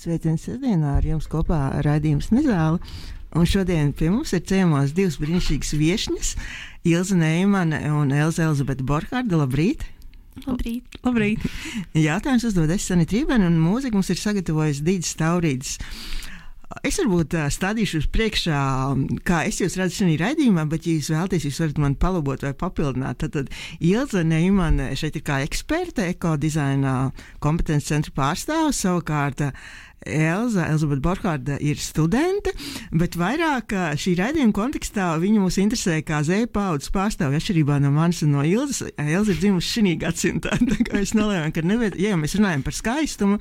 Sveiciens sestdienā, ar jums kopā raidījums Nezāle. Un šodien pie mums ir ciemos divas brīnišķīgas viešņas, Ilze Neimane un Elizabete Borhārde. Labrīt! Labrīt! Labrīt! Jautājums uzdod es, Sanita Rībene, un mūziku mums ir sagatavojis Dīdis Taurīdis. Es varbūt stādīšu uz priekšā, kā es jūs redzu šajā raidījumā, bet, ja jūs vēlaties, jūs varat man palabot vai papildināt. Tad Ilze Neimane šeit ir kā eksperte, ekodizaina kompetences centra pārstāvs, savukārt Elizabete Borhārde ir studente, bet vairāk šī raidījuma kontekstā viņa mūs interesē kā Z paudzes pārstāvja, atšķirībā no manis un no Ilzes. Ilze ir dzimusi šī gadsimtā, tā kā mēs nolēmām, ka ja mēs runājam par skaistumu,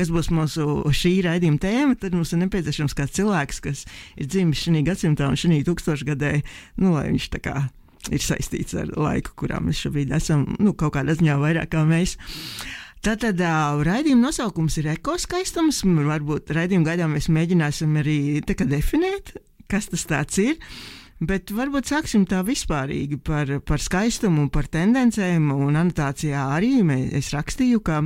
kas būs mūsu šī raidījuma tēma, tad mums ir nepieciešams kāds cilvēks, kas ir dzimis šī gadsimtā un šī tūkstošgadē, lai viņš tā kā ir saistīts ar laiku, kurā mēs šobrīd esam, kaut kādā ziņā vairāk kā mēs. Tātad raidījuma nosaukums ir ekoskaistums. Varbūt raidījuma gaidā mēs mēģināsim arī definēt, kas tas tāds ir. Bet varbūt sāksim tā vispārīgi par skaistumu, par tendencēm, un anotācijā arī es rakstīju, ka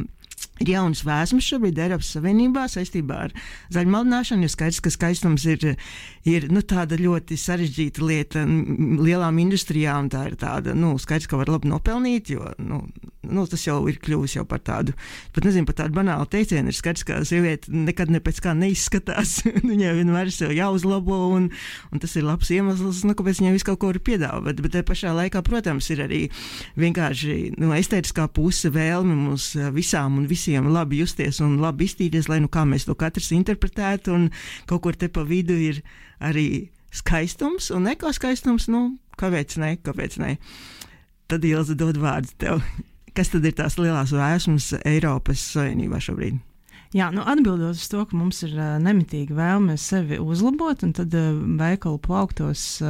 ir jaunas vēsmas šobrīd Eiropas Savienībā saistībā ar zaļumaldināšanu, jo skaidrs, ka skaistums ir tāda ļoti sarežģīta lieta lielām industrijām, tā ir tāda, skaidrs, ka var labi nopelnīt, jo, tas jau ir kļuvis jau par tādu, pat nezinu, par tādu banālu teicienu, ir skaidrs, ka sieviete nekad ne pēc kā neizskatās, viņai vienmēr ir sev jāuzlabo, un tas ir labs iemesls, kāpēc viņai visu kaut ko var piedāvāt, bet pašā laikā, protams, ir arī vienkārši, estētiskā puse vēlme mums visām un visiem labi justies un labi iztīties, lai kā mēs to katrs interpretētu, un kaut kur te pa vidu ir arī skaistums un ekoskaistums, kāpēc ne? Tad Ilze dod vārdu tev. Kas tad ir tās lielās vēsmas Eiropas Savienībā šobrīd? Jā, atbildot uz to, ka mums ir nemitīga vēlme sevi uzlabot un tad veikalu plauktos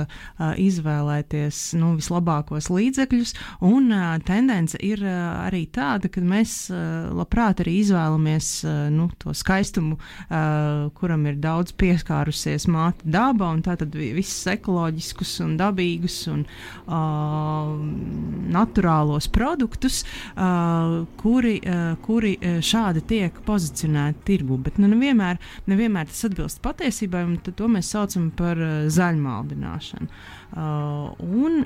izvēlēties vislabākos līdzekļus, un tendence ir arī tāda, ka mēs labprāt arī izvēlamies to skaistumu, kuram ir daudz pieskārusies māte daba, un tātad visus ekoloģiskus un dabīgus un naturālos produktus, kuri šādi tiek pozicionēti tirgu, bet nevienmēr tas atbilst patiesībai, un to mēs saucam par zaļumaldināšanu. Un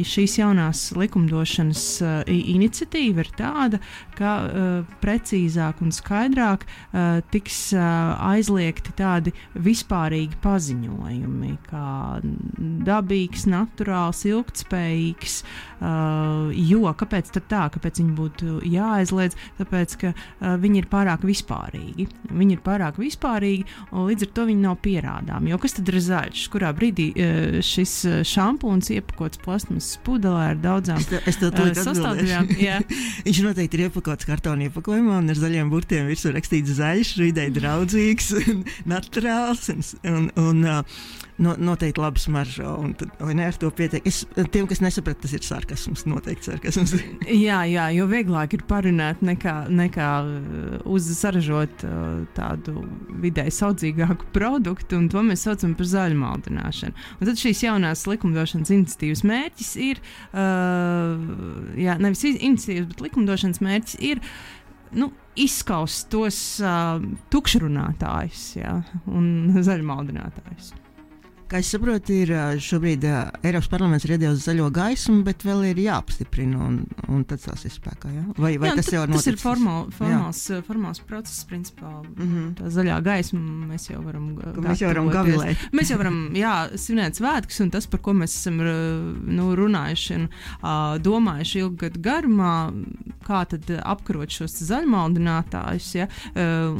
šīs jaunās likumdošanas iniciatīva ir tāda, ka precīzāk un skaidrāk tiks aizliegti tādi vispārīgi paziņojumi, kā dabīgs, naturāls, ilgtspējīgs, jo kāpēc tad tā, kāpēc viņi būtu jāaizliedz, tāpēc, ka viņi ir pārāk vispārīgi. Viņi ir pārāk vispārīgi, un līdz ar to viņi nav pierādām. Jo kas tad ir zaļš? Kurā brīdī šis šampūns iepakots plasmasas pudelē ar daudzām sastāvdaļām? Viņš noteikti ir iepakots kartona iepakojumā un ar zaļiem burtiem virsū rakstīts zaļš, videi draudzīgs, naturāls un noteikti labi smaržo, un tad, vai ne, ar to pietiek. Tiem, kas nesaprata, tas ir sarkasms, noteikti sarkasms. Jā, jo vieglāk ir parunāt nekā saražot tādu vidēji saudzīgāku produktu, un to mēs saucam par zaļumaldināšanu. Un tad šīs jaunās likumdošanas iniciatīvas mērķis ir, nevis iniciatīvas, bet likumdošanas mērķis ir, izskaust tos tukšrunātājus, un zaļumaldinātājus. Kā es saprotu, ir šobrīd Eiropas parlaments ir iedevis zaļo gaismu, bet vēl ir jāapstiprina, un tad tas ir spēkā, jā? Vai tas jau ir noticis? Tas ir formāls process, principā. Tā zaļā gaisma mēs jau varam gavilēt. Mēs jau varam, svinēt svētkus, un tas, par ko mēs esam runājuši un domājuši ilgu gadu garumā, kā tad apkarot šos zaļumaldinātājus,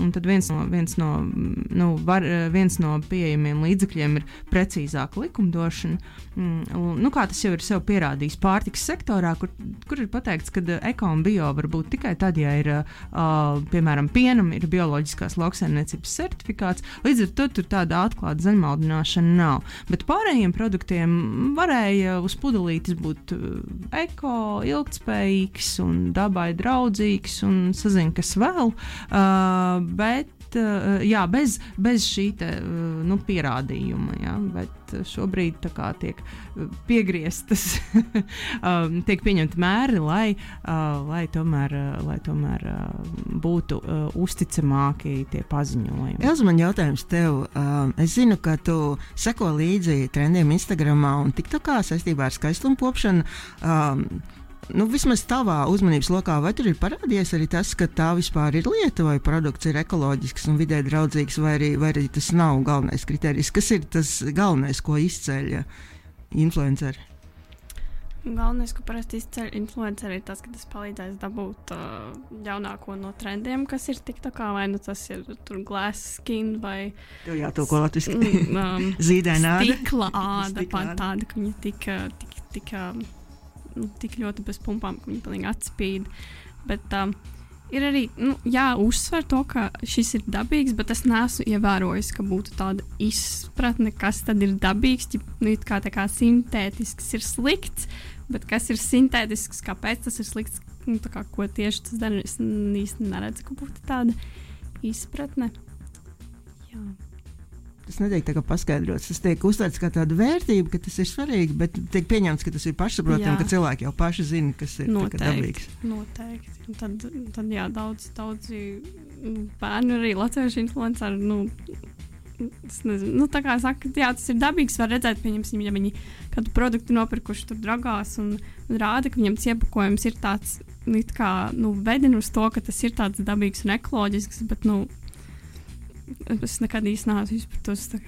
un tad viens no pieejamiem līdzekļiem ir precīzāka likumdošana. Kā tas jau ir sev pierādījis pārtikas sektorā, kur ir pateikts, ka eko un bio var būt tikai tad, ja ir, piemēram, pienam ir bioloģiskās lauksaimniecības certifikāts, līdz ar to tur tāda atklāta zaļumaldināšana nav. Bet pārējiem produktiem varēja uz pudelītes būt eko, ilgtspējīgs un dabai draudzīgs un sazin, kas vēl, bet bez šī pierādījuma, bet šobrīd tā kā tiek piegrieztas, tiek pieņemti mēri, lai tomēr būtu uzticamāki tie paziņojumi. Elza, man jautājums tev. Es zinu, ka tu seko līdzi trendiem Instagramā un TikTokā saistībā ar skaistumu kopšanu. Vismaz tavā uzmanības lokā, vai tur ir parādījies arī tas, ka tā vispār ir lieta, vai produkts ir ekoloģisks un vidē draudzīgs, vai arī tas nav galvenais kriterijs? Kas ir tas galvenais, ko izceļ influenceri? Galvenais, ko parasti izceļ influenceri, ir tas, ka tas palīdzēs dabūt jaunāko no trendiem, kas ir TikTokā, vai tas ir glass skin, vai tev jātulko latviski. Zīdaina āda. Stikla āda, pat tāda, ka viņa tik ļoti bez pumpām, ka viņi pilnīgi atspīd. Bet ir arī jāuzsver to, ka šis ir dabīgs, bet es neesmu ievērojis, ka būtu tāda izpratne, kas tad ir dabīgs, kā sintētisks ir slikts, bet kas ir sintētisks, kāpēc tas ir slikts, ko tieši tas dara. Es īsti neredzu, ka būtu tāda izpratne. Jā. Tas netiek tā kā paskaidrots. Tas tiek uztverts kā tāda vērtība, ka tas ir svarīgi, bet tiek pieņemts, ka tas ir pašsaprotami, ka cilvēki jau paši zina, kas ir dabīgs. Noteikti. Tad jā, daudzi bērni arī latviešu influenceri, es nezinu, tā kā saka, jā, tas ir dabīgs, var redzēt, pieņemsim, ja viņi kādu produktu nopirkuši tur dragās un rāda, ka viņam iepakojums ir tāds, vedina uz to, ka tas ir tāds dabīgs un ekoloģisks, bet, es nekad īsti neesmu izpratusi,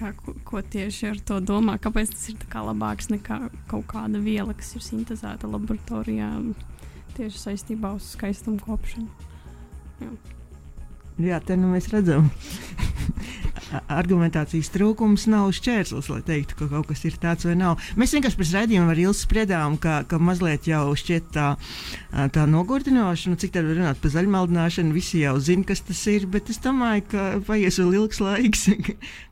ko tieši ar to domā, kāpēc tas ir labāks nekā kaut kāda viela, kas ir sintezēta laboratorijā tieši saistībā uz skaistumu kopšanu. Jā, te mēs redzam. Argumentācijas trūkums nav šķērslis, lai teiktu, ka kaut kas ir tāds vai nav. Mēs vienkārši pēc raidījuma ar Ilzi spriedām, ka mazliet jau šķiet tā nogurdinoša, cik tad var runāt par zaļmaldināšanu, visi jau zina, kas tas ir, bet es domāju, ka paies vēl ilgs laiks,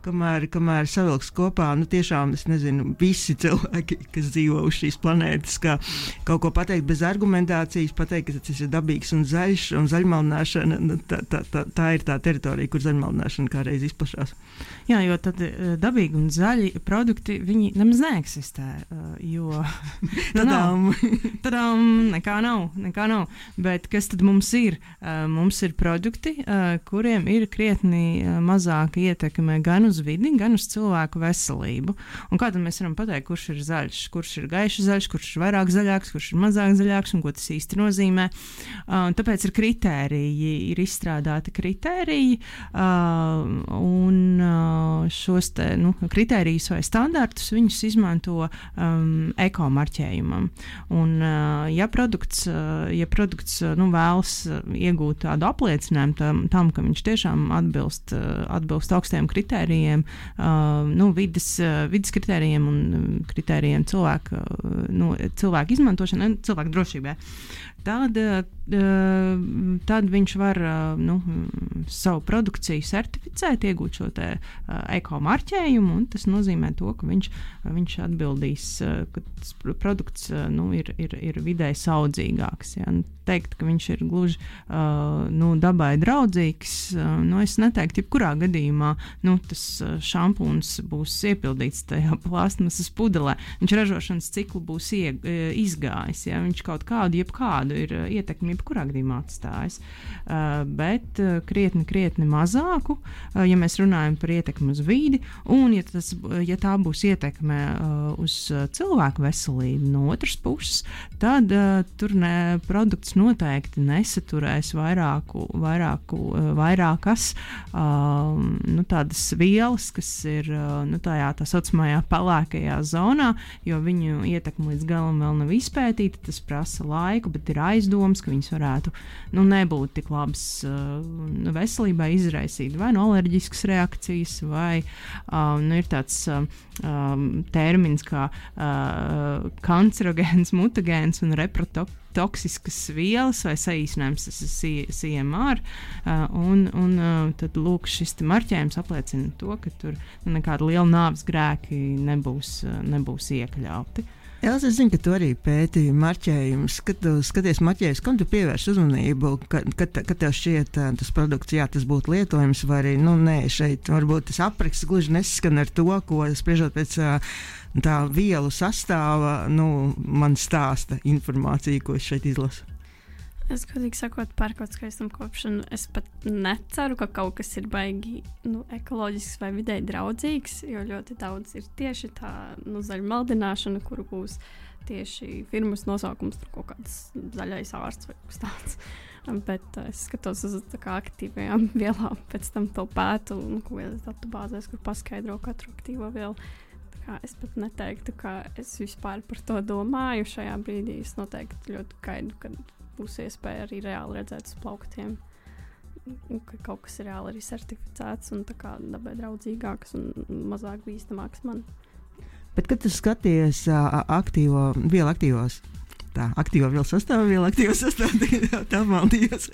kamēr savilks kopā, tiešām, es nezinu, visi cilvēki, kas dzīvo uz šīs planētas, ka kaut ko pateikt bez argumentācijas, pateikt, ka tas ir dabīgs un zaļš, un zaļmaldināšana, tā ir tā teritorija, kur zaļmaldināšana kādreiz izplašās. Jā, jo tad dabīgi un zaļi produkti, viņi nemaz neeksistē, jo tadām, nekā nav. Bet kas tad mums ir? Mums ir produkti, kuriem ir krietni mazāka ietekme gan uz vidi, gan uz cilvēku veselību. Un kā tad mēs varam pateikt, kurš ir zaļš, kurš ir gaiši zaļš, kurš ir vairāk zaļāks, kurš ir mazāk zaļāks un ko tas īsti nozīmē? Tāpēc ir kritēriji, ir izstrādāti kritēriji, un šos te, kritērijus vai standartus viņus izmanto ekomarķējumam. Un, ja produkts vēlas iegūt tādu apliecinājumu tam, ka viņš tiešām atbilst augstiem kritērijiem, vides kritērijiem un kritērijiem cilvēku izmantošanai, cilvēku drošībai, tad viņš var savu produkciju certificēt, iegūt šo te ekomarķējumu, un tas nozīmē to, ka viņš atbildīs, ka tas produkts ir vidēji saudzīgāks. Ja? Teikt, ka viņš ir gluži dabai draudzīgs, es neteiktu, jebkurā gadījumā tas šampūns būs iepildīts tajā plastmasas pudelē. Viņš ražošanas ciklu būs izgājis, ja? Viņš kaut jebkādu ir ietekmi jebkurā gadījumā atstājis, bet krietni mazāku, ja mēs runājam par ietekmi uz vidi, un ja tā būs ietekme uz cilvēku veselību no otras puses, tad tur produkts noteikti nesaturēs vairākas tādas vielas, kas ir tajā tā saucamajā pelēkajā zonā, jo viņu ietekme līdz galam vēl nav izpētīta, tas prasa laiku, bet ir aizdoms, ka viņas varētu nebūt tik labas veselībai, izraisīt vai alerģiskas reakcijas, vai ir tāds termins kā kancerogēns, mutagēns un reprotoksiskas vielas vai saīsinājums, tas ir CMR, un tad lūk šis marķējums apliecina to, ka tur nekāda liela nāves grēki nebūs iekļauti. Elza, es zinu, ka tu arī pētīji marķējumus. Kad tu skaties marķējumus, kam tu pievērš uzmanību, kad tev šķiet tas produkts, jā, tas būtu lietojams, vai arī, nē, šeit varbūt tas apraksts gluži nesaskan ar to, ko spriežot pēc tā vielu sastāva, man stāsta informācija, ko es šeit izlasu. Es, godīgi sakot, pērkot skaistumkopšanu, es pat neceru, ka kaut kas ir baigi ekoloģisks vai videi draudzīgs, jo ļoti daudz ir tieši tā zaļa maldināšana, kuru būs tieši firmas nosaukums, tur kaut kāds zaļais ārsts vai kaut kas tāds. Bet es skatos uz tā kā aktīvajām vielām, pēc tam to pētu kaut kādās datubāzēs, kur paskaidro katru aktīvo vielu. Tā kā es pat neteiktu, ka es vispār par to domāju šajā brīdī. Es noteikti ļoti gaidu, kad būs iespēja arī reāli redzēt uz plauktiem, ka kaut kas ir reāli arī certificēts un tā kā dabai draudzīgāks un mazāk bīstamāks man. Bet, kad tu skaties aktīvo vielu sastāvu, tā maldījos,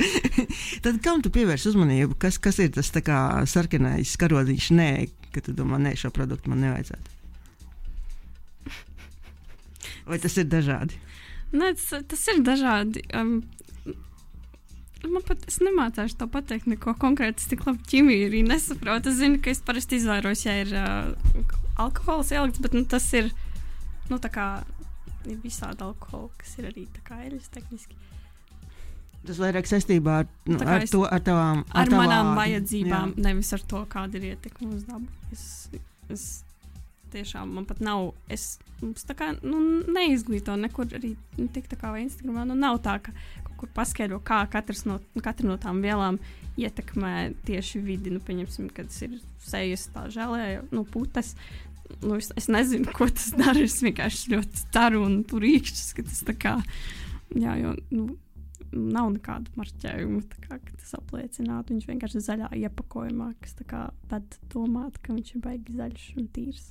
tad kam tu pievērš uzmanību? Kas ir tas tā kā sarkanais karodziņš? Nē, ka tu domā, nē, šo produktu man nevajadzētu. Vai tas ir dažādi? Nē, tas ir dažādi. Man pat es nemācāšu to pateikt neko konkrēti. Es tik labi ķimiju arī nesaprotu. Es zinu, ka es parasti izvairos, ja ir alkohols ielikts, bet tas ir, tā kā ir visādi alkoholi, kas ir arī tā kā eļas tehniski. Tas vairāk saistībā ar tavām manām vajadzībām, jā. Nevis ar to, kāda ir ietekme uz dabu. Es tiešām man pat nav, mums tā kā neizglīto nekur arī tik tā kā vai Instagramā, nav tā, ka kaut kur paskaidro, kā katra no tām vielām ietekmē tieši vidi, pieņemsim, kad tas ir sejas tā žēlē, putes, es nezinu, ko tas dara, es vienkārši ļoti ceru un tur īkšķis, ka tas tā kā, jā, jo, nav nekādu marķējumu, tā kā, ka tas apliecinātu, viņš vienkārši zaļā iepakojumā, kas tā kā ved domāt, ka viņš ir baigi zaļš un tīrs.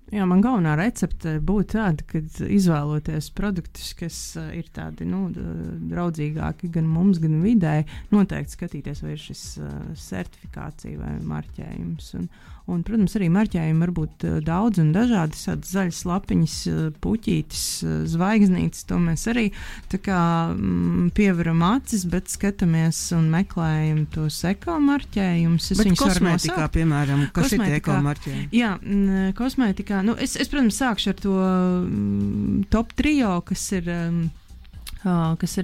Jā, man galvenā recepte būtu tāda, ka izvēloties produktus, kas ir tādi draudzīgāki gan mums, gan vidē, noteikti skatīties, vai ir šis certifikācija vai marķējums. Un, protams, arī marķējumi var būt daudz un dažādi, tādas zaļas lapiņas, puķītes, zvaigznītes, to mēs arī tā kā pievaram acis, bet skatāmies un meklējam tos ekomarķējumus. Bet kosmētikā, piemēram, kas ir tie ekomarķējumi? Jā, kosmētikā. Es, protams, sākšu ar to top trio, kas ir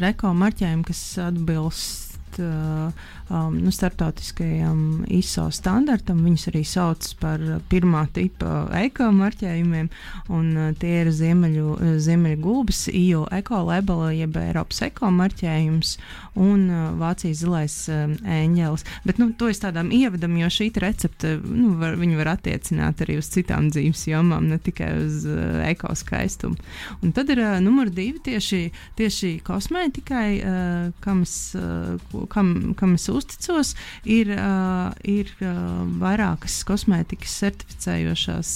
ekomarķējumi, kas atbilst starptautiskajam ISO standartam. Viņus arī sauc par pirmā tipa ekomarķējumiem, un tie ir Ziemeļu gulbes, EU ekolabela, jeb Eiropas ekomarķējums, un Vācijas zilais ēņģelis. Bet, to es tādām ievadam, jo šī recepte, viņi var attiecināt arī uz citām dzīves jomām, ne tikai uz ekoskaistumu. Un tad ir numur 2 tieši kosmētikai, kam es uzticos, ir vairākas kosmētikas certificējošās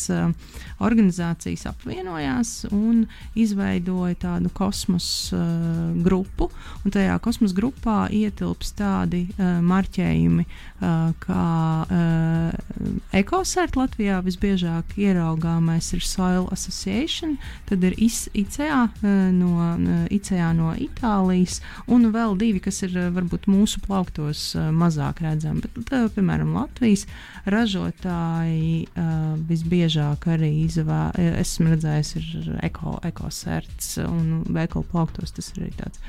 organizācijas apvienojās un izveidoja tādu kosmos grupu, un tajā kosmos grupā ietilps tādi marķējumi, kā EcoCert Latvijā visbiežāk ieraugāmais ir Soil Association, tad ir ICA no Itālijas, un vēl 2, kas ir varbūt mūsu plauktos mazāk redzami, bet, piemēram, Latvijas ražotāji visbiežāk arī esmu redzējis, ir EcoCerts, un veikalu plauktos tas ir arī tāds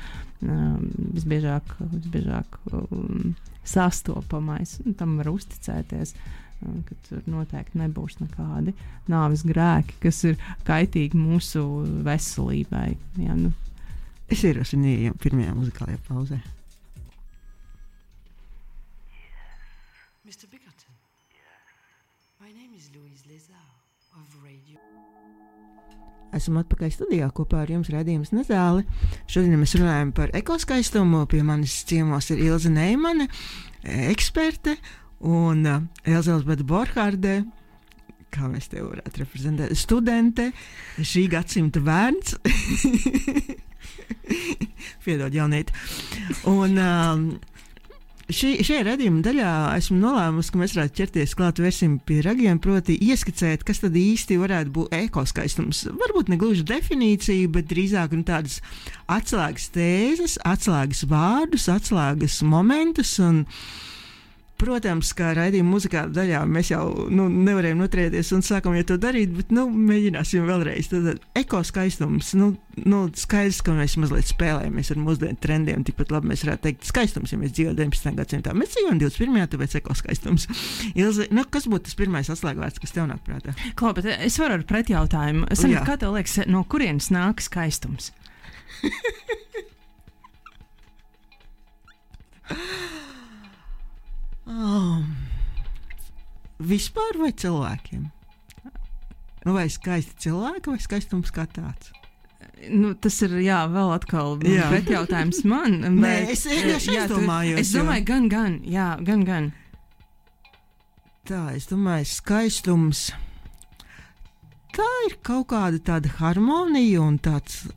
visbiežāk sastopamais, un tam var uzticēties, ka tur noteikti nebūs nekādi nāves grēki, kas ir kaitīgi mūsu veselībai. Jā, Es ierosinu pirmajā muzikālajā pauzē. Mr. Bickerton, my name is Louise Lezau of Radio. Esam atpakaļ studijā kopā ar jums raidījums Nezāli. Šodien mēs runājam par ekoskaistumu. Pie manis ciemos ir Ilze Neimane, eksperte, un Elizabete Borhārde, kā mēs te varētu reprezentēt, studente, šī gadsimta bērns. Piedod, jaunieti. Un Šajā redzījuma daļā esmu nolēmusi, ka mēs varētu ķerties klāt versim pie ragiem, proti ieskicēt, kas tad īsti varētu būt ekoskaistums. Varbūt ne gluži definīcija, bet drīzāk tādas atslēgas tēzes, atslēgas vārdus, atslēgas momentus un protams, kā raidījuma muzikāla daļā mēs jau nevarējām noturēties un sākam jau to darīt, bet mēģināsim vēlreiz. Tad ekoskaistums, skaidrs, ka mēs mazliet spēlējamies ar mūsdienu trendiem, tikpat labi mēs varētu teikt skaistums, ja mēs dzīvojam 19. gadsimtā. Mēs dzīvojam 21. tāpēc ekoskaistums. Ilze, kas būtu tas pirmais atslēgvārds, kas tev nāk prātā? Klau, bet es varu ar pretjautājumu. Sanīt, kā tev liekas, no kurienes nāk skaistums? Vispār vai cilvēkiem? Vai skaisti cilvēki vai skaistums kā tāds? Tas ir, vēl atkal pretjautājums man. Nē, es domāju. Es domāju, gan. Tā, es domāju, skaistums. Tā ir kaut kāda tāda harmonija un tāds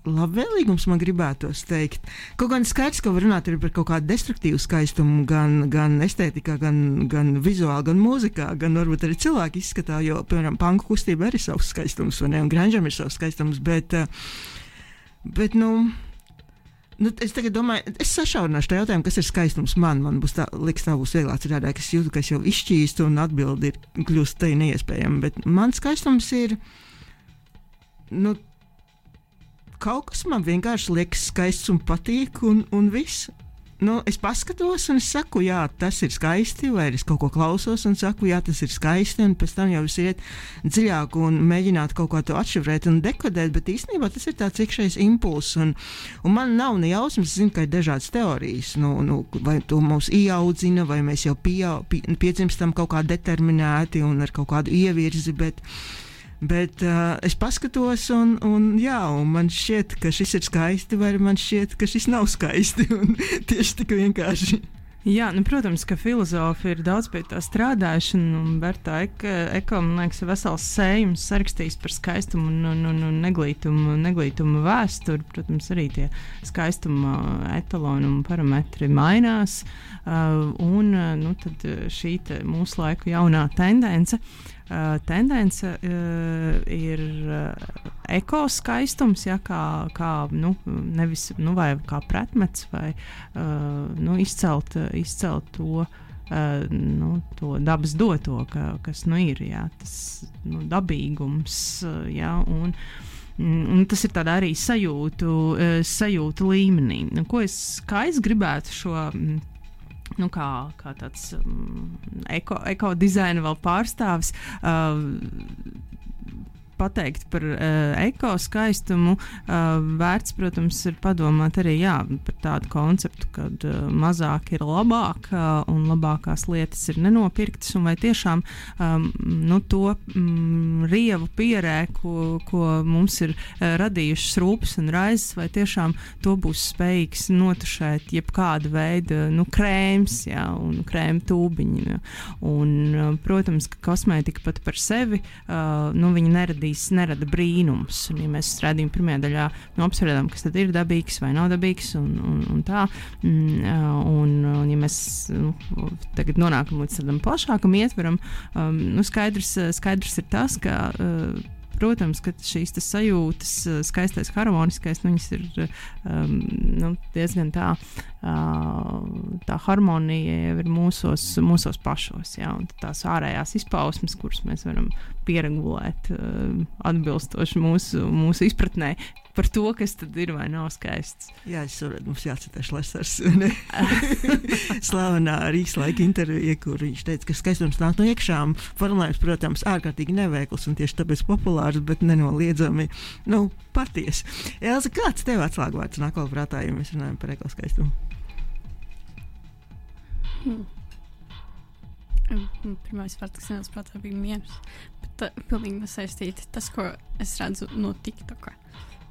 labvēlīgums, man gribētos teikt. Kaut gan skaidrs, ka var runāt arī par kaut kādu destruktīvu skaistumu, gan estētikā, gan vizuāli, gan mūzikā, gan varbūt arī cilvēku izskatā, jo, piemēram, panku kustība arī savs skaistums, vai ne, un grunge'am ir savs skaistums, bet es tagad domāju, es sašaurināšu tā jautājumu, kas ir skaistums man būs tā būs vieglāk citādā, ka es jūtu, ka es jau izšķīstu un atbildi ir kļūst tai neiespējama, bet man skaistums ir, kaut kas man vienkārši liekas skaists un patīk, un viss. Es paskatos un es saku, jā, tas ir skaisti, vai es kaut ko klausos un saku, jā, tas ir skaisti, un pēc tam jau es iet dziļāk un mēģināt kaut ko to atšifrēt un dekodēt, bet īstenībā tas ir tāds iekšējs impulss, un man nav ne jausmas, es zinu, ka ir dažādas teorijas, vai to mūs ieaudzina, vai mēs jau piedzimstam kaut kā determinēti un ar kaut kādu ievirzi, bet es paskatos un man šķiet, ka šis ir skaisti, vai man šķiet, ka šis nav skaisti, un tieši tik vienkārši. Jā, protams, ka filozofi ir daudz pie tā strādājuši, un Berta Eko, man liekas, vesels sējums sarakstījis par skaistumu un neglītumu vēsturi. Protams, arī tie skaistuma etaloni un parametri mainās, tad šī mūsu laiku jaunā tendence ir ekoskaistums, kā nevis vai kā pretmets, vai izcelt to to dabas doto, kas ir, tas dabīgums, un tas ir tādā arī sajūtu līmenī. Kā es gribētu šo kā tāds ekodizaina vēl pārstāvis pateikt par ekoskaistumu, vērts, protams, ir padomāt arī par tādu konceptu, kad mazāk ir labāk un labākās lietas ir nenopirktas, un vai tiešām to rievu pierēku, ko mums ir radījušas rūpes un raizes, vai tiešām to būs spējīgs notušēt jebkāda veida krēms, un krēma tūbiņi. Un, protams, ka kosmētika pat par sevi, viņa nerada brīnums. Un, ja mēs redzējām pirmajā daļā, apspriedām, kas tad ir dabīgs vai nav dabīgs, un tā. Un ja mēs tagad nonākam līdz tādam plašākam ietveram, skaidrs ir tas, ka protams, ka šīs sajūtas, skaistais, harmoniskais, viņas ir diezgan tā harmonija ir mūsos pašos, un tās ārējās izpausmes, kuras mēs varam pieregulēt atbilstoši mūsu izpratnē par to, kas tad ir vai nav skaists. Jā, es saprotu, mums jācitē Šlesers, slavenā Rīgslaika intervija, kur viņš teica, ka skaistums nāk no iekšām. Formulējums, protams, ārkārtīgi neveikls un tieši tāpēc populārs, bet nenoliedzami, patiesi. Elza, kāds tev atslēgvārds nāk vēl prātā, ja mēs runājam par ekoskaistumu? Pirmais vārds, kas nāca prātā, bija miers, bet pilnīgi nesaistīti. Tas, ko es redzu no TikToka,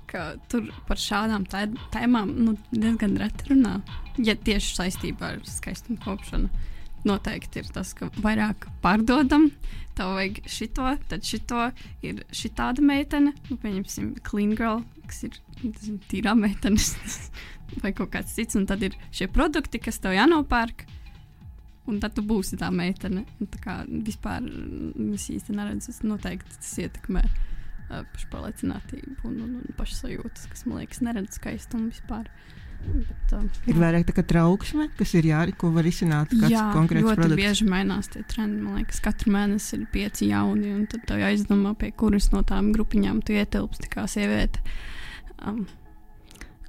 ka tur par šādām tēmām diezgan reti runā, ja tieši saistībā ar skaistumu kopšanu. noteikti ir tas, ka vairāk pārdodam, tev vajag šito, tad šito ir šitāda meitene, pieņemsim clean girl, kas ir tīrā meitene vai kaut kāds cits, un tad ir šie produkti, kas tev jānopērk, un tad tu būsi tā meitene. Tā kā vispār es īsti neredzu, noteikti tas ietekmē pašpārliecinātību un pašsajūtas, kas, man liekas, neredz skaistumu vispār. Bet, ir vairāk tā kā trauksme, kas ir ko var izsināt kāds konkrēts produkts. Jā, ļoti bieži mainās tie trendi. Man liekas, katru mēnesi ir 5 jauni, un tad tev jāizdomā, pie kuras no tām grupiņām tu ietilpsti kā sieviete.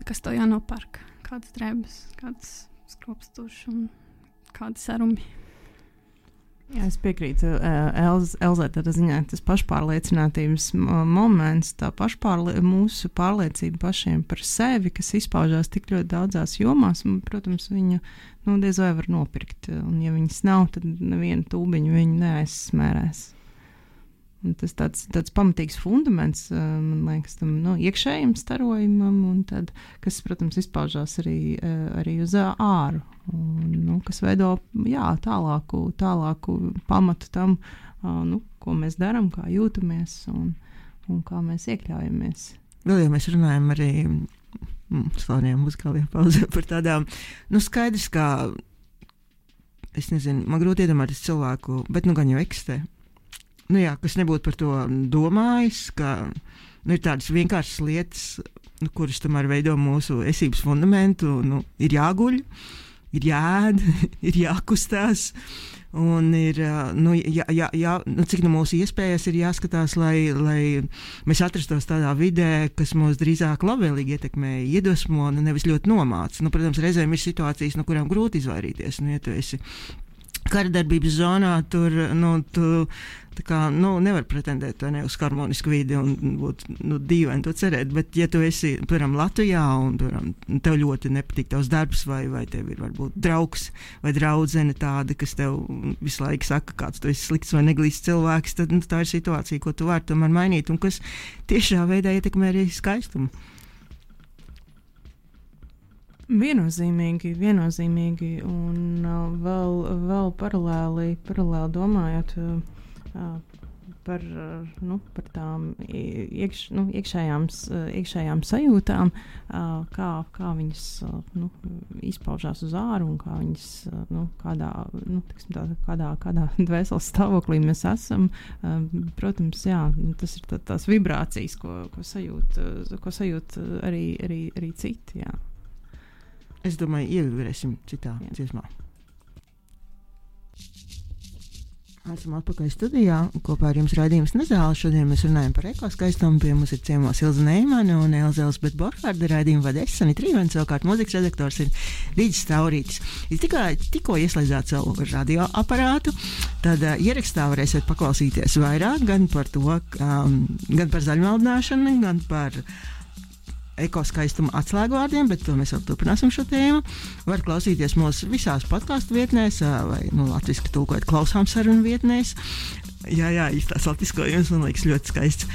Kas tev jānopērk? Kādas drēbes, kādas skropstuši un kādi serumi. Jā, es piekrītu Elzai, tādā ziņā tas pašpārliecinātības moments, tā mūsu pārliecība pašiem par sevi, kas izpaužās tik ļoti daudzās jomās, un, protams, viņu diez vai var nopirkt, un ja viņas nav, tad neviena tūbiņu viņu neaizsmērēs. Un tas tāds pamatīgs fundaments, man liekas, tam iekšējiem starojumam, un tad, kas, protams, izpaužās arī uz āru, un, kas veido tālāku pamatu tam, ko mēs darām, kā jūtamies un kā mēs iekļaujamies. Vēl jau mēs runājam arī slavenajā muzikālajā pauzē par tādām, skaidrs, kā, es nezinu, man grūti iedomāties cilvēku, bet gan jau eksistē. Kas nebūtu par to domājis, ka ir tādas vienkāršas lietas, kuras tomēr veido mūsu esības fundamentu. Ir jāguļ, ir jāēd, ir jākustās, un ir, cik mūsu iespējas ir jāskatās, lai mēs atrastos tādā vidē, kas mūs drīzāk labvēlīgi ietekmē, iedvesmo, nevis ļoti nomāca. Protams, reizēm ir situācijas, no kurām grūti izvairīties. Ja tu esi karadarbības zonā, tur nevar pretendēt uz harmonisku vidi un būt dīvaini to cerēt, bet ja tu esi, piemēram, Latvijā un tev ļoti nepatīk tavs darbs vai tev ir varbūt draugs vai draudzene tāda, kas tev visu laiku saka, kāds tu esi slikts vai neglīsts cilvēks, tad tā ir situācija, ko tu vari tomēr mainīt un kas tiešā veidā ietekmē arī skaistumu. Viennozīmīgi, un vēl paralēli domājot par tām iekšējām sajūtām, kā viņas izpaužās uz āru un kā viņas kādā dvēseles stāvoklī mēs esam. Protams, tas ir tās vibrācijas, ko sajūt arī citi. Jā. Es domāju, ievibrēsim citā dziesmā. Esam atpakaļ studijā, kopā ar jums raidījums Nezāle. Šodien mēs runājam par ekoskaistumu. Pie mums ir ciemos Ilze Neimane un Elzebete Borharde. Raidījumu vada es, Sanita Rīvene, savukārt mūzikas redaktors ir Rīģis Taurītis. Jūs tikko ieslēdzāt savu radioaparātu, tad ierakstā varēsiet paklausīties vairāk gan par to, gan par zaļumaldināšanu, gan par ekoskaistuma atslēgvārdiem, bet to mēs vēl turpināsim šo tēmu. Var klausīties mūsu visās podcastu vietnēs, vai latviski tulkojot klausām sarunu vietnēs. Jā, īstās latviskojums, man liekas, ļoti skaists.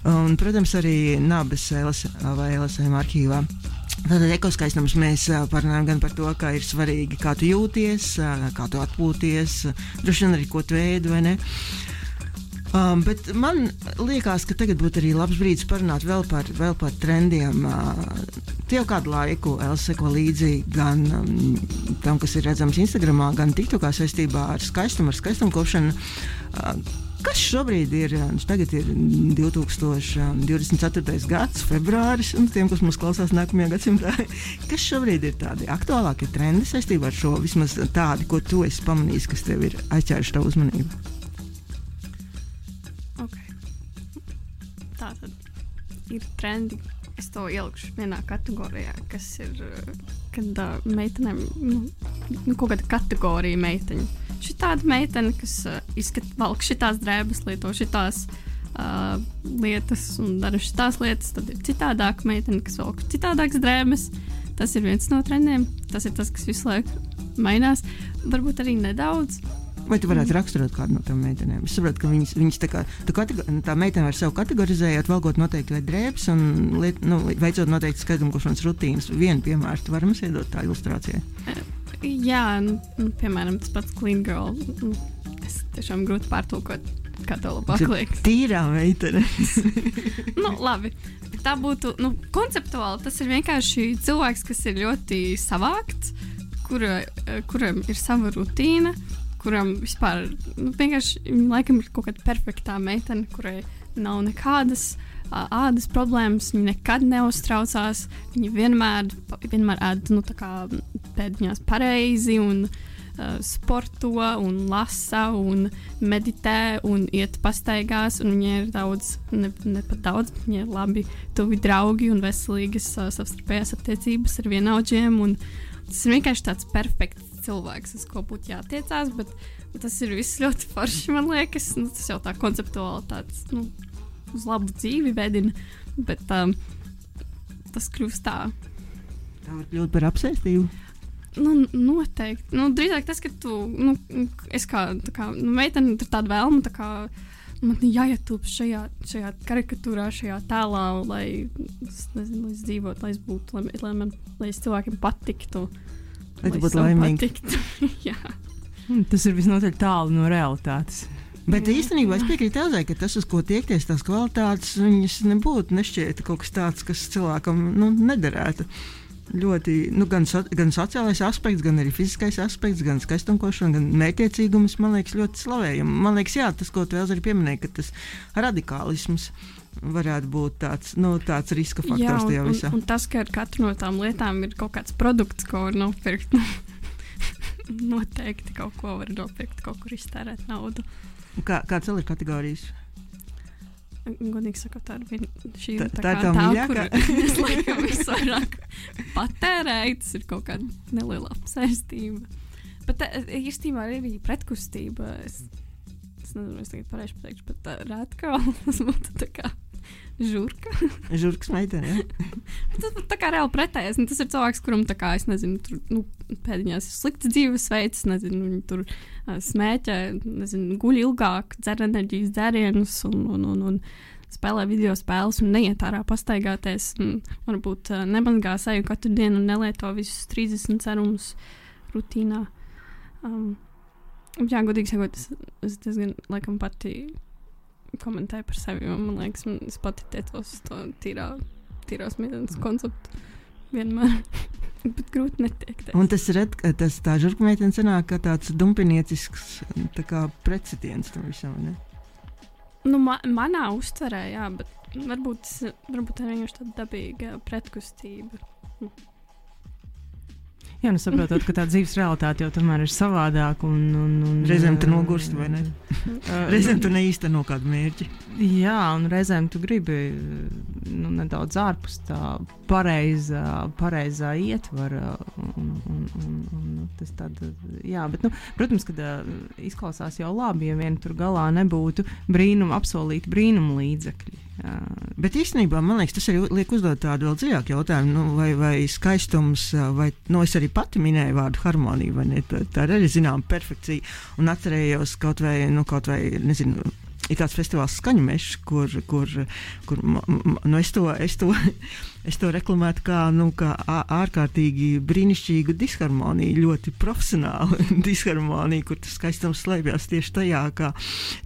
Un, protams, arī Nabas vai LSM arhīvā. Tātad ekoskaistums mēs parunājam gan par to, kā ir svarīgi, kā tu jūties, kā tu atpūties, droši vien arī ko tu ēd vai ne. Bet man liekas, ka tagad būtu arī labs brīdis parunāt vēl par trendiem. Tie jau kādu laiku Elsa seko līdzi gan tam, kas ir redzams Instagramā, gan TikTokā saistībā ar skaistumu kopšanu. Kas šobrīd ir? Tagad ir 2024. gads, februāris, un tiem, kas mums klausās nākamajā gadsimtā, kas šobrīd ir tādi aktuālākie trendi saistībā ar šo, vismaz tādi, ko tu esi pamanījis, kas tev ir aizķēruši tavu uzmanību? Tātad ir trendi, es to ielikšu vienā kategorijā, kas ir, kad meitenēm, kaut kāda kategorija meiteņu. Šitāda meitene, kas valk šitās drēbes, lieto šitās lietas un dara šitās lietas, tad ir citādāka meitene, kas valk citādākas drēbes. Tas ir viens no trendiem, tas ir tas, kas visu laiku mainās, varbūt arī nedaudz. Vai tu varētu raksturot kādu no tām meitenēm? Es saprotu, ka viņas tā meitene var sev kategorizējot, valkot noteikti vai drēbes un veicot noteikti skaidrumkošanas rutīnas. Vienu piemēru tu vari mums iedot tā ilustrācijai? Jā, piemēram, tas pats Clean Girl. Es tiešām grūti pārtulkot, kā to labāk liekas. Tīrā meitene. Labi. Tā būtu, konceptuāli tas ir vienkārši cilvēks, kas ir ļoti savākts, kuram ir sava rutīna, kuram vispār, vienkārši, laikam ir kaut kāda perfektā meitene, kurai nav nekādas ādas problēmas, viņa nekad neuztraucās, viņa vienmēr ēd, tā kā pēdiņās pareizi un sporto un lasa un meditē un iet pastaigās, un viņai ir daudz, ne pat daudz, bet viņai ir labi tuvi draugi un veselīgas savstarpējās attiecības ar vienaudžiem, un tas ir vienkārši tāds perfekts cilvēks, uz ko būtu jātiecās, bet tas ir viss ļoti forši, man liekas, tas jau tā konceptuāli tāds, uz labu dzīvi vedina, bet tas kļūst tā. Tā var kļūt par apsēstību? Noteikti. Drīzāk tas, ka tu, es kā meitene, tur tāda vēlma, tā kā man jāietilp šajā karikatūrā, šajā tēlā, lai es nezinu, lai es dzīvotu, lai es būtu, lai es cilvēkiem patiktu. Lai tu būtu laimīgi. Jā. Tas ir visnotaļ tālu no realitātes. Bet īstenībā es piekrītu Elzai, ka tas, uz ko tiekties, tās kvalitātes, viņas nebūtu nešķieta kaut kas tāds, kas cilvēkam nederētu. Ļoti, gan sociālais aspekts, gan arī fiziskais aspekts, gan skaistumkošana, gan mērķtiecīgums, man liekas, ļoti slavējami. Man liekas, jā, tas, ko tu Elza arī pieminēji, ka tas radikālisms varētu būt tāds riska faktors tajā visā. Un tas, ka ar katru no tām lietām ir kaut kāds produkts, ko var nopirkt, noteikti kaut ko var nopirkt, kaut kur iztērēt naudu. Kāds vēl ir kategorijas? Godīgi sakot, tā ir tā mīļākā. Es laikam visvairāk patērēju, tas ir kaut kāda neliela apsēstība. Bet īstenībā arī pretkustība. Es nezinu, es tagad pareizi pateikšu, bet rētkāli tas būtu tā kā žurka. Žurkas meitene, jā. Tas būtu tā kā reāli pretējais. Tas ir cilvēks, kuram tā kā, es nezinu, tur, pēdiņās ir slikts dzīvesveids, nezinu, viņi tur smēķē, nezinu, guļ ilgāk, dzer enerģijas dzērienus un spēlē video spēles un neiet ārā pastaigāties. Varbūt nemazgā seju katru dienu un nelieto visus 30 serumus rutīnā. Jā, godīgi sakot, es diezgan laikam pati komentēju par sevi, jo man liekas, es pati tiecos uz to tīrās mītnes konceptu vienmēr, bet grūti netiekties. Un tā žurka meitene sanāk kā tāds dumpiniecisks tā kā precitiens tam visam, ne? Manā uztverē, jā, bet varbūt tā vienkārši tāda dabīga pretkustība. Jā, saprotot, ka tā dzīves realitāte jau tomēr ir savādāka un reizēm tu nogurst, vai ne? Reizēm tu neīsteno kādu mērķi. Jā, un reizēm tu gribi nedaudz ārpus tā pareizā ietvara un tas tāda, jā, bet, protams, kad izklausās jau labi, ja vien tur galā nebūtu apsolīti brīnumu līdzekļi. Jā. Bet īstenībā, man liekas, tas arī liek uzdot tādu vēl dziļāku jautājumu, vai skaistums, vai, es arī pati minēju vārdu harmonija, vai ne, tā ir arī zinām perfekcija, un atcerējos kaut vai, nezinu, ir tāds festivāls Skaņu mešs, kur es to reklamētu kā ārkārtīgi brīnišķīgu disharmoniju, ļoti profesionālu disharmoniju, kur tas skaistums slēpjas tieši tajā,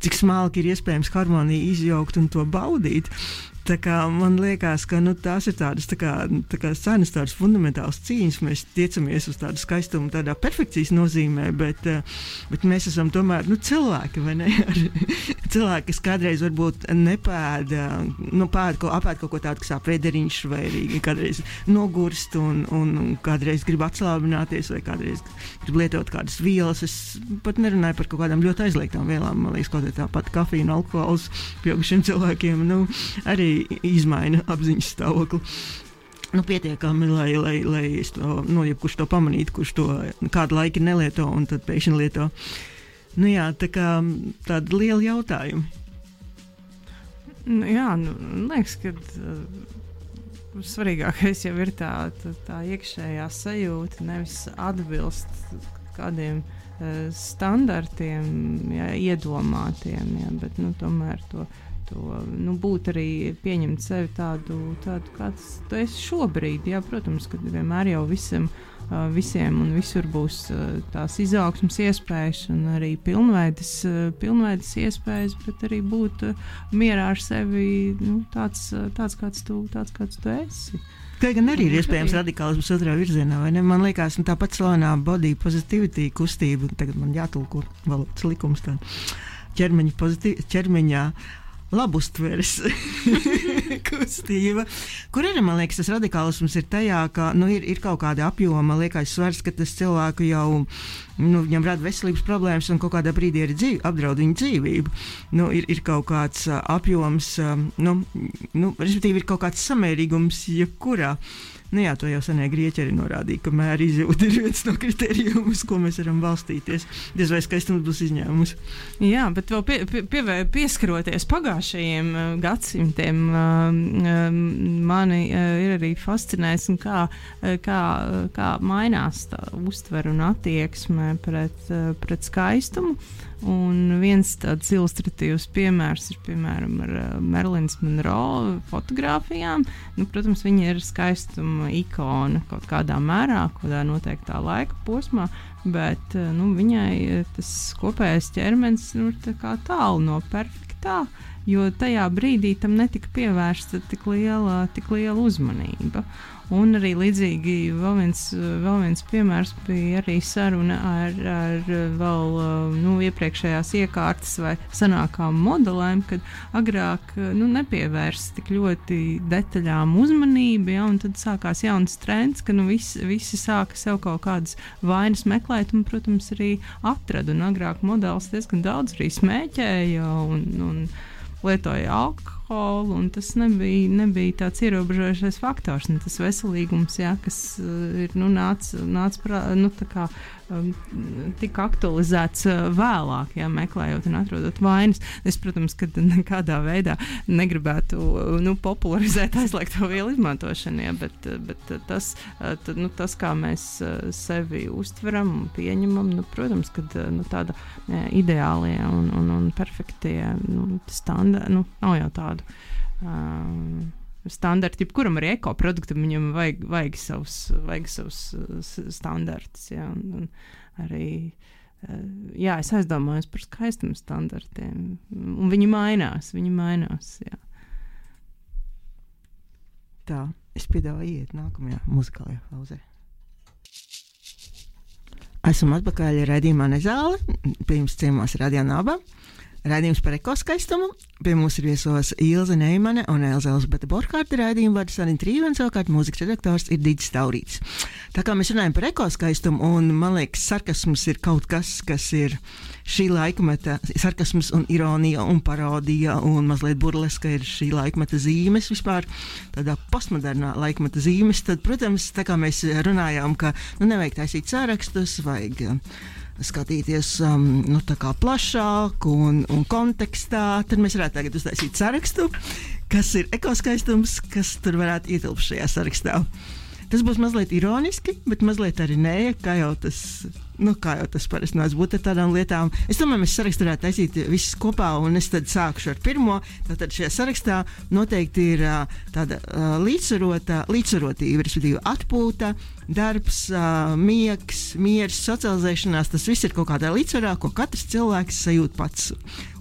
cik smalki ir iespējams harmoniju izjaukt un to baudīt. Tā kā man liekas, ka tās ir tādas tā kā cenas, tādas fundamentālas cīņas. Mēs tiecamies uz tādu skaistumu, tādā perfekcijas nozīmē, bet mēs esam tomēr cilvēki, vai ne? Cilvēki, kas kādreiz varbūt nepēda, apēd kaut ko tādu, kas ap vēderiņš, vai arī kādreiz nogurst un kādreiz grib atslābināties, vai kādreiz grib lietot kādas vielas. Es pat nerunāju par kaut kādām ļoti aizliegtām vielām. Man liekas, kaut kā tāpat kafija un alkohols pieaugušiem cilvēkiem, arī izmaina apziņas stāvokli. Pietiekami, lai es to, jebkurš to pamanītu, kurš to kādu laiku nelieto un tad pēkšņi lieto. Jā, tā kā tādi lieli jautājumi. Jā, liekas, ka svarīgākais jau ir tā iekšējā sajūta, nevis atbilst kādiem standartiem, jā, iedomātiem, jā, bet tomēr to būt arī pieņemt sevi tādu kāds tu esi šobrīd. Jā, protams, ka vienmēr jau visiem un visur būs tās izaugsmas iespējas un arī pilnveidas iespējas, bet arī būt mierā ar sevi tāds, kāds tu esi. Kā gan arī ir iespējams radikālisms otrā virzienā, vai ne? Man liekas, tāpat slavenā body positivity kustība, tagad man jātulko valodas likums tā, ķermeņa labustveres kustība, kur arī, man liekas, tas radikālisms ir tajā, ka ir kaut kāda apjoma, liekas svars, ka tas cilvēku jau viņam rada veselības problēmas un kaut kādā brīdī arī apdraud viņu dzīvību. Ir kaut kāds apjoms, respektīvi ir kaut kāds samērīgums jebkurā. Jā, to jau senie grieķi arī norādīja, ka mēra izjūta ir viens no kritērijiem, uz ko mēs varam balstīties. Diez vai skaistums būs izņēmums. Jā, bet vēl pieskaroties pagājušajiem gadsimtiem, mani ir arī fascinējis, kā mainās tā uztvere un attieksme pret skaistumu. Un viens tāds ilustratīvs piemērs ir, piemēram, ar Marilyn Monroe fotogrāfijām. Protams, viņa ir skaistuma ikona kaut kādā mērā, kādā noteiktā laika posmā, bet viņai tas kopējais ķermenis tā kā tālu no perfektā, jo tajā brīdī tam netika pievērsta tik liela uzmanība. Un arī līdzīgi vēl viens piemērs bija arī saruna ar vēl iepriekšējās iekārtas vai senākām modelēm, kad agrāk nepievērst tik ļoti detaļām uzmanību, ja, un tad sākās jauns trends, ka visi sāka sev kaut kādas vainas meklēt un, protams, arī atrada. Un agrāk modelis diezgan daudz arī smēķēja un lietoja alkoholu, un tas nebija tāds ierobežojošais faktors. Tas veselīgums, jā, kas ir tika aktualizēts vēlāk, jā, meklējot un atrodot vainas. Es, protams, ka nekādā veidā negribētu popularizēt aizliegto vielu izmantošanu, jā, bet tas, kā mēs sevi uztveram un pieņemam, protams, ka tāda ideālie un perfektie standarti, nav jau tādu standarti, jebkuram arī ekoproduktam viņam vajag savus standartus, jā, un arī, jā, es aizdomājos par skaistuma standartiem, un viņi mainās, jā. Tā, es piedāvāju iet nākamajā muzikālajā pauzē. Esam atpakaļ raidījumā Nezāle, pie jums ciemos Radio Naba. Raidījums par ekoskaistumu. Pie mums ir viesos Ilze Neimane un Elzbeta Borhārta. Raidījumu vada Sanita Trīvena, savukārt mūzikas redaktors ir Digis Taurīts. Tā kā mēs runājam par ekoskaistumu, un man liekas, sarkasms ir kaut kas ir šī laikmeta, sarkasms un ironija un parodija un mazliet burleska ir šī laikmeta zīmes vispār, tādā postmodernā laikmeta zīmes, tad, protams, tā kā mēs runājām, ka nevajag taisīt sārakstus, vajag skatīties tā kā plašāk un kontekstā, tad mēs varētu tagad uztaisīt sarakstu, kas ir ekoskaistums, kas tur varētu ietilpt šajā sarakstā. Tas būs mazliet ironiski, bet mazliet arī nē, kā jau tas parasti nāc būt ar tādām lietām. Es domāju, mēs sarakstu varētu taisīt visus kopā, un es tad sākušu ar pirmo. Tātad šajā sarakstā noteikti ir tāda līdzsvarotība, respektīvi atpūta, darbs, miegs, miers, socializēšanās. Tas viss ir kaut kādā līdzsvarā, ko katrs cilvēks sajūt pats.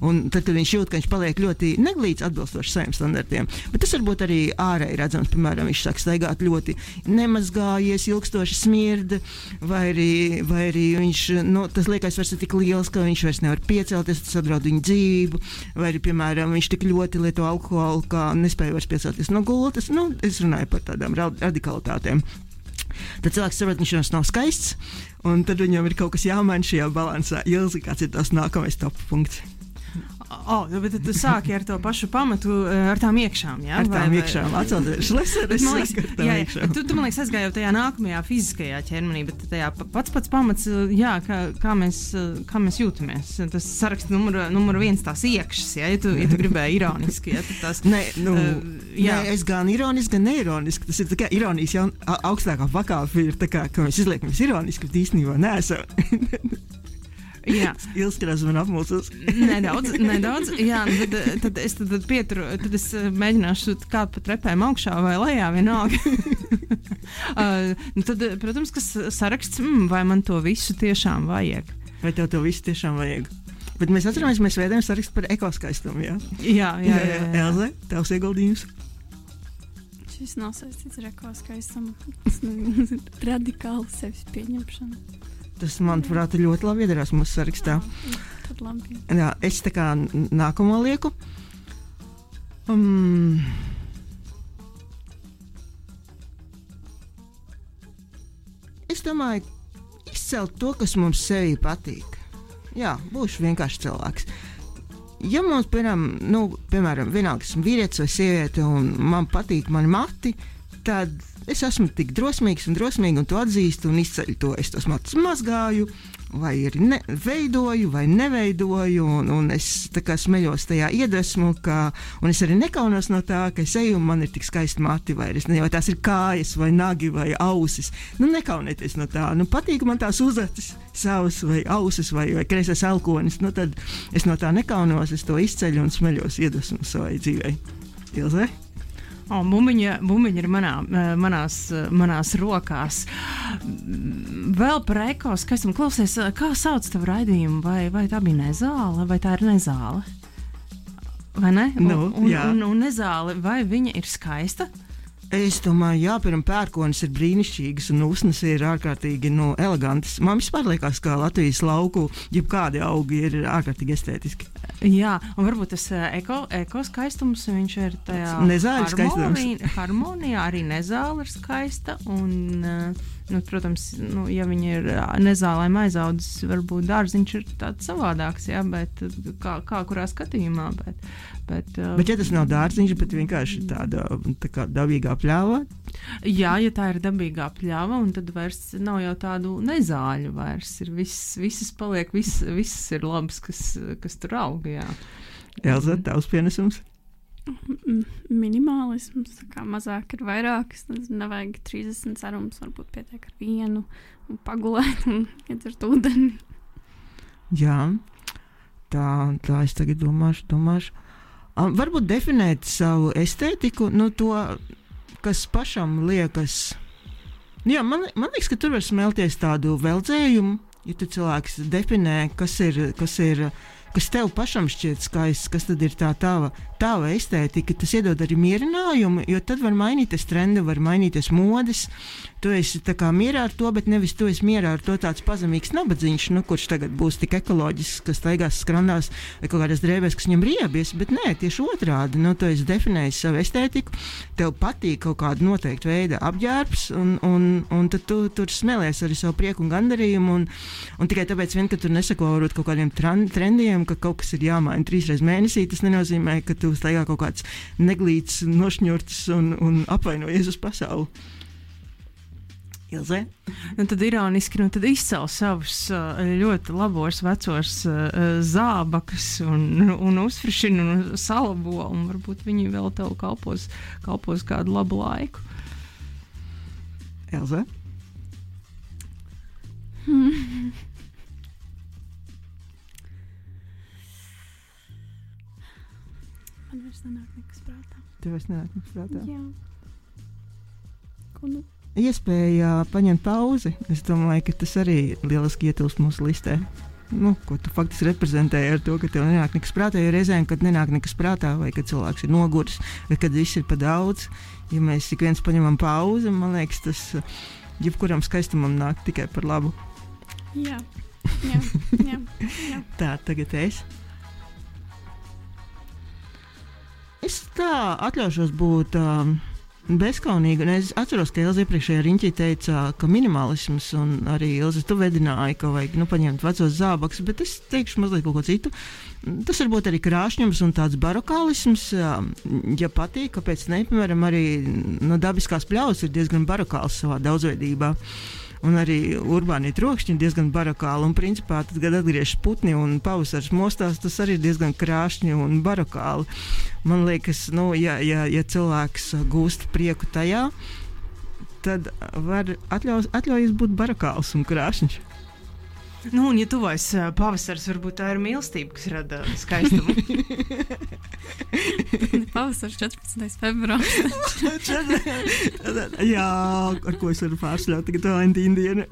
Un tad, kad viņš jūt, ka viņš paliek ļoti neglīts atbilstoši saviem standartiem, bet tas varbūt arī ārēji redzams, piemēram, viņš sāk staigāt ļoti nemazgājies, ilgstoši smirda, vai arī viņš, tas liekas vairs ir tik liels, ka viņš vairs nevar piecelties, tas apdraud viņu dzīvību, vai arī, piemēram, viņš tik ļoti lieto alkoholu, ka nespēja vairs piecelties no gultas. Es runāju par tādām radikalitātēm. Tad cilvēks saprot, viņš jums nav skaists, un tad viņam ir kaut kas jāmaina šajā balansā. Ilzi, kāds ir tās nākamais top punkts? Bet tu sāki ar to pašu pamatu, ar tām iekšām, jā? Ar tām iekšām, atcelties šleseres, ar tām iekšām. Tu, man liekas, aizgāji jau tajā nākamajā fiziskajā ķermenī, bet tajā pats pamats, jā, kā mēs jūtamies. Tas saraksts numur viens tās iekšas, jā, ja tu gribēji ironiski, jā, tad tās... Nē, es gan ironiski, gan neironiski. Tas ir tā kā ironijas jau augstākā pakāpe ir tā kā, ka mēs izliekamies ironiski, bet īstenībā neesam. Jā. Ilskrās man apmulsos. nedaudz. Jā, tad es pieturu, tad es mēģināšu kāpt pa trepēm augšā vai lejā vienalga. Tad, protams, kas saraksts, vai man to visu tiešām vajag. Vai tev to visu tiešām vajag? Bet mēs atceramies, mēs veidojam sarakstu par ekoskaistumu, jā? Jā. Elze, tavs ieguldījums? Šis nav saistīts ar ekoskaistumu. Tas ir radikāli sevis pieņemšana. Tas, manuprāt, ļoti labi iedarās mūsu sarakstā. Tad labi. Jā, es tā kā nākamo lieku. Es domāju, izcelt to, kas mums sevī patīk. Jā, būšu vienkārši cilvēks. Ja mums, piemēram, vienalga esmu vīrietis vai sieviete un man patīk mani mati, tad es esmu tik drosmīgs un to atzīstu un izceļu to. Es tos matus mazgāju, vai arī veidoju, vai neveidoju, un es tā kā smeļos tajā iedvesmu, un es arī nekaunos no tā, ka es eju un man ir tik skaisti mati, vai tās ir kājas, vai nagi, vai ausis. Nekaunieties no tā. Patīk man tās uzacis savas, vai ausis, vai kreisais elkonis. Tad es no tā nekaunos, es to izceļu un smeļos iedvesmu savai dzīvei. Ilze? Bumbiņa ir manās rokās. Vēl par ekoskaistumu klausies, kā sauc tavu raidījumu? Vai tā bija nezāle, vai tā ir nezāle? Vai ne? Un nezāle, vai viņa ir skaista? Es domāju, jā, pērkonis ir brīnišķīgas un usnas ir ārkārtīgi elegantas. Man vispār liekas, ka Latvijas lauku jebkādi augi ir ārkārtīgi estētiski. Jā, un varbūt tas ekoskaistums, viņš ir tajā harmonijā, arī nezāle ir skaista, un, protams, ja viņa ir nezālēm aizaudzis, varbūt dārziņš ir tāds savādāks, jā, bet kā kurā skatījumā, bet ja tas nav dārziņš, bet vienkārši tāda tā kā dabīgā pļāva? Jā, ja tā ir dabīgā pļāva, un tad vairs nav jau tādu nezāļu vairs, ir visas paliek, visas ir labas, kas tur aug, jā. Elza, tavs pienesums? Minimālisms, kā mazāk ir vairāk, nevajag 30 cerums, varbūt pietiek ar vienu, un pagulēt, un iedzert ūdeni. Jā, tā es tagad domāšu. Varbūt definēt savu estētiku, to, kas pašam liekas. Jā, man liekas, ka tur var smelties tādu veldzējumu, ja tu cilvēks definē, kas tev pašam šķiet skaists, kas tad ir tā tava estētika, tas iedod arī mierinājumu, jo tad var mainīties trendi, var mainīties modes. Tu esi tā kā mierā ar to, bet nevis tu esi mierā ar to tāds pazemīgs nabadzīņš, kurš tagad būs tik ekoloģisks, kas staigās skrandās vai kaut kādās drēbēs, kas viņam riebies, bet nē, tieši otrādi. Tu esi definējis savu estētiku, tev patīk kaut kāda noteikta veida apģērbs, un tad tu tur smēlies arī savu prieku un gandarījumu, un tikai tāpēc vien, ka tu nesako varbūt kaut kādiem trendiem, ka kaut kas ir jāmaina 3 reizes mēnesī, tas nenozīmē, ka tu staigā kaut kāds neglīts, nošņurts un apvainojies uz pasauli. Ilze? Tad ironiski, tad izcēl savus ļoti labos vecos zābakus un uzfrišina un salabo, un varbūt viņi vēl tev kalpos kādu labu laiku. Ilze? Man vairs nenāk nekas prātā. Tev vairs nenāk nekas prātā? Jā. Ko Iespēja paņemt pauzi. Es domāju, ka tas arī lieliski ietilpst mūsu listē. Ko tu faktiski reprezentēji ar to, ka tev nenāk nekas prātā, jo reizēm, kad nenāk nekas prātā, vai kad cilvēks ir noguris, vai kad viss ir pa daudz, ja mēs ik viens paņemam pauzi, man liekas, tas jebkuram skaistumam nāk tikai par labu. Jā. Tā, tagad es. Es tā atļaušos būt bezkaunīgi, un es atceros, ka Ilze iepriekšējā riņķī teica, ka minimalisms, un arī Ilze, tu vedināji, ka vajag paņemt vecos zābakus, bet es teikšu mazliet kaut ko citu. Tas varbūt arī krāšņums un tāds barokālisms, ja patīk, kāpēc ne, piemēram, arī dabiskās pļaus ir diezgan barokāls savā daudzveidībā. Un arī urbānie trokšņi ir diezgan barokāli, un principā tad, kad atgriežas putni un pavasars mostās, tas arī ir diezgan krāšņi un barokāli. Man liekas, ja cilvēks gūst prieku tajā, tad var atļaujas būt barokāls un krāšņš. Nu, un ja tuvojas pavasars, varbūt tā ir mīlestība, kas rada skaistumu. Pavasars 14. februāris. Jā, ar ko es varu pārsļaut tagad Valentīna dienu.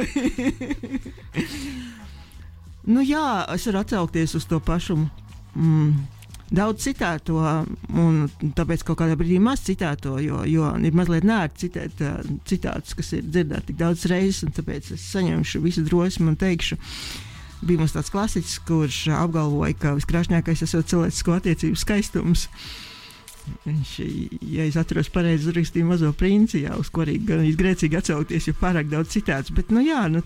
Nu jā, es varu atsaukties uz to pašu daudz citēto, un tāpēc kaut kādā brīdī maz citēto, jo ir mazliet nērti citēt citātus, kas ir dzirdēti tik daudz reizes, un tāpēc es saņemšu visu drosmi un teikšu. Bija mums tāds klasiķis, kurš apgalvoja, ka viskrāšņākais esot cilvēcisko attiecību skaistums. Viņš, ja es atceros pareizi, uzrakstīja Mazo princi, jā, uz ko arī gan grēcīgi atsaukties, jo pārāk daudz citāts. Bet,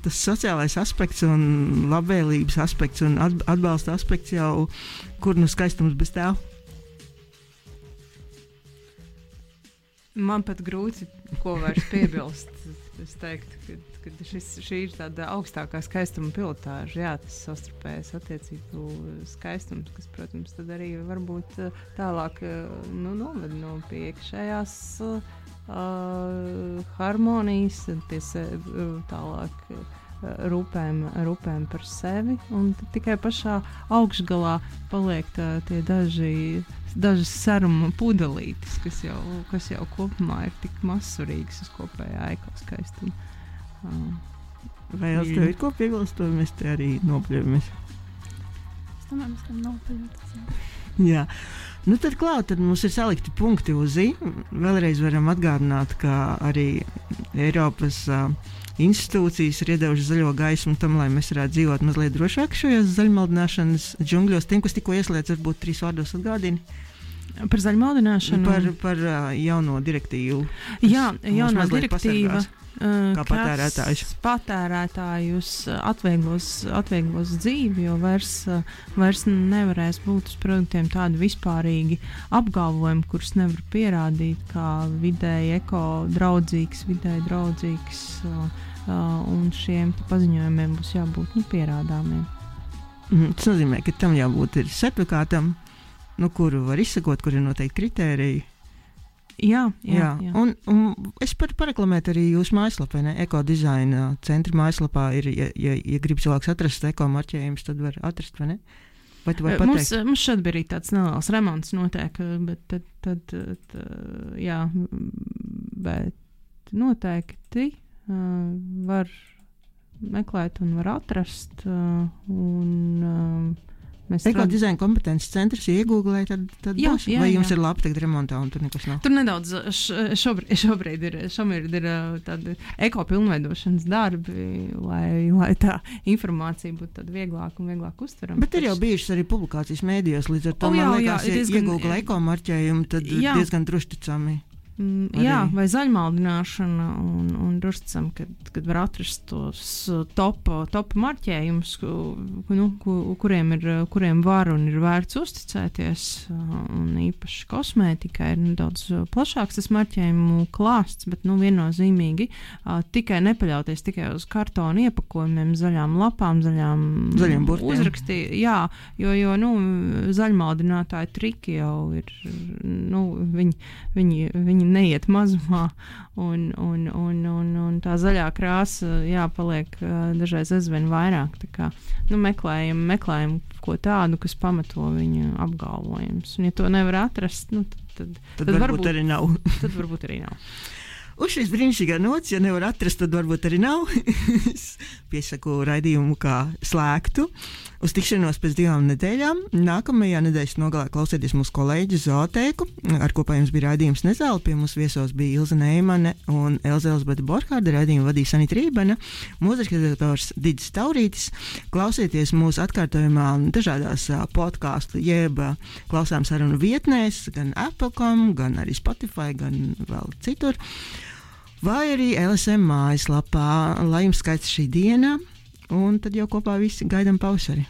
tas sociālais aspekts un labvēlības aspekts un atbalsta aspekts jau, kur skaistums bez tā? Man pat grūti, ko vairs piebilst. Es teiktu, ka šī ir tāda augstākā skaistuma pilotāža, jā, tas savstarpējais attiecību skaistums, kas, protams, tad arī varbūt tālāk noved no pie iekšējās harmonijas, tālāk rūpēm par sevi, un tikai pašā augšgalā paliek tie dažas saruma pudelītes, kas jau kopumā ir tik mazsvarīgas uz kopējā ekoskaistumu. Vai jau tev ir ko piebilst, to mēs te arī nopļamies? Es domāju, mēs tam nopļamies. Jā. Nu tad klāt, tad mums ir salikti punkti uz I. Vēlreiz varam atgādināt, ka arī Eiropas institūcijas ir iedevušas zaļo gaismu tam, lai mēs varētu dzīvot mazliet drošāk šajos zaļmaldināšanas džungļos. Tiem, kas tikko ieslēdz, varbūt 3 vārdos atgādini. Par zaļmaldināšanu? Par jauno direktīvu. Jā, jaunā direktīva. Kā patērētājus atvieglos dzīvi, jo vairs nevarēs būt uz produktiem tādi vispārīgi apgalvojumi, kurus nevar pierādīt kā vidēji ekodraudzīgs, vidēji draudzīgs, un šiem paziņojumiem būs jābūt pierādāmiem. Tas nozīmē, ka tam jābūt ir certifikātam, kuru var izsakot, kur ir noteikti kritēriji. Jā. Un es pareklamētu arī jūsu mājaslapā, ekodizaina centra mājaslapā ir, ja grib cilvēks atrast ekomarķējumus, tad var atrast, vai ne? Vai tu vari pateikt? Mums šeit bija arī tāds neliels remonts notiek, bet tad jā, bet noteikti var meklēt un var atrast, un Ekodizaina kompetences centrs, ja iegūglē, tad jā, būs. Vai jums ir labi tagad remontā un tur nekas nav? Tur nedaudz šobrīd ir tādi ekopilnveidošanas darbi, lai tā informācija būtu tāda vieglāk un vieglāk uztverama. Bet ir jau bijušas arī publikācijas mēdījos, līdz ar to man liekas, ja iegūglē ekomarķējumu, tad diezgan drošticami. Jā, vai zaļmaldināšana, un drošticam, kad var atrast tos topa marķējumus, kuriem var un ir vērts uzticēties, un īpaši kosmētikai ir nedaudz plašāks tas marķējumu klāsts, bet viennozīmīgi tikai nepaļauties tikai uz kartona iepakojumiem, zaļām lapām, zaļiem uzrakstiem. Jā, jo zaļmaldinātāji triki jau ir, viņi neiet mazumā, un tā zaļā krāsa paliek dažreiz aizvien vairāk. Tā kā, meklējam ko tādu, kas pamato viņa apgalvojumus. Un ja to nevar atrast, tad varbūt arī nav. Tad varbūt arī nav. Uz šīs brīnišķīgā nots, ja nevar atrast, tad varbūt arī nav. Es piesaku raidījumu kā slēgtu. Uz tikšanos pēc 2 nedēļām. Nākamajā nedēļas nogalē klausieties mūsu kolēģi Zootēku, ar kopā jums bija raidījums Nezāle. Pie mums viesos bija Ilze Neimane un Elzbeta Borhārda. Raidījumu vadīja Sanita Rībena, mūzikas redaktors Didis Taurītis. Klausieties mūsu atkārtojumā dažādās podcastu jeb klausām sarunu vietnēs, gan Apple.com, gan arī Spotify, gan vēl citur. Vai arī LSM mājaslapā. Lai jums skaists šī diena, un tad jau kopā visi gaidām pavasari.